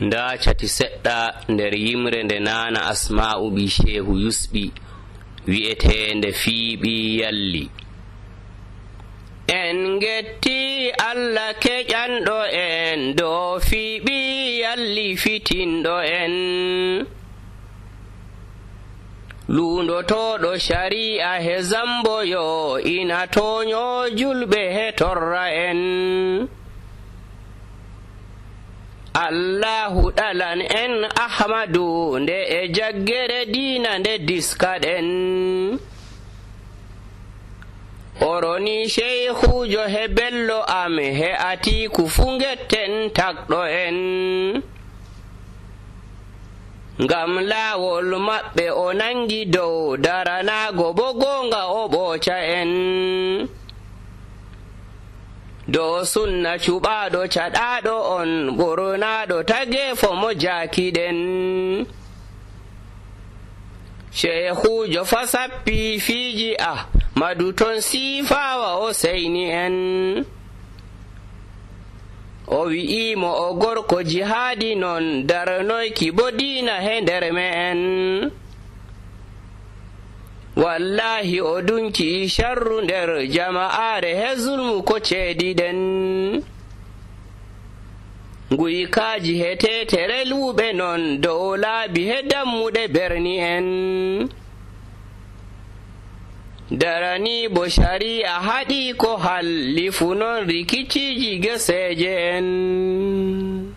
nda cati seɗɗa nder yimre nde nana Asma'u bi Shehu Yusɓi wi'etende fiiɓi yalli. En getti Allah keƴanɗo en dow fiiɓi yalli fitinɗo en, lundotoɗo shari'a he zamboyo ina toño julɓe he torra en. Allahu ɗalan en Ahmadu nde e jaggere diina nde diskaɗen, oroni Sheykhujo he Bello am he Atiku fu getten tagɗo en, ngam laawol maɓɓe o nangi dow daranago bo gonga o ɓooca en, dow sunna cuɓaɗo caɗaɗo on ɓurnaɗo tagefo mo jaakiɗen. Sheykhujo fa sappi fiiji Ahmadu ton siifawa o seyni en, o wi'imo o gorko jihaadi non darnoyki bo diina he nder me'en. Wallahi o dunki sharru nder jama'are he zulmu ko ceediɗen, guykaji he tetere luuɓe non dow laabi he dammuɗe berni en, darani bo shari'a haɗi ko halli fu non rikiciji geseje en.